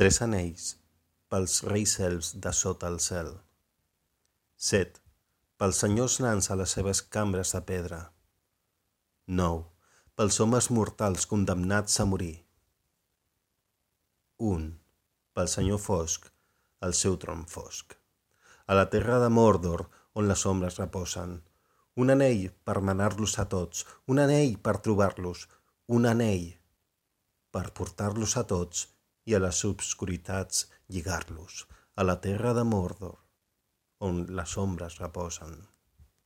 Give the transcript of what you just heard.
Tres anells pels reis elfs de sota el cel. 7. Pels senyors nans a les seves cambres de pedra. 9. Pels homes mortals condemnats a morir. 1. Pel senyor fosc, el seu tron fosc. A la terra de Mordor, on les ombres reposen. Un anell per manar-los a tots, un anell per trobar-los, un anell per portar-los a tots i a les obscuritats lligar-los, a la terra de Mordor, on les ombres reposen.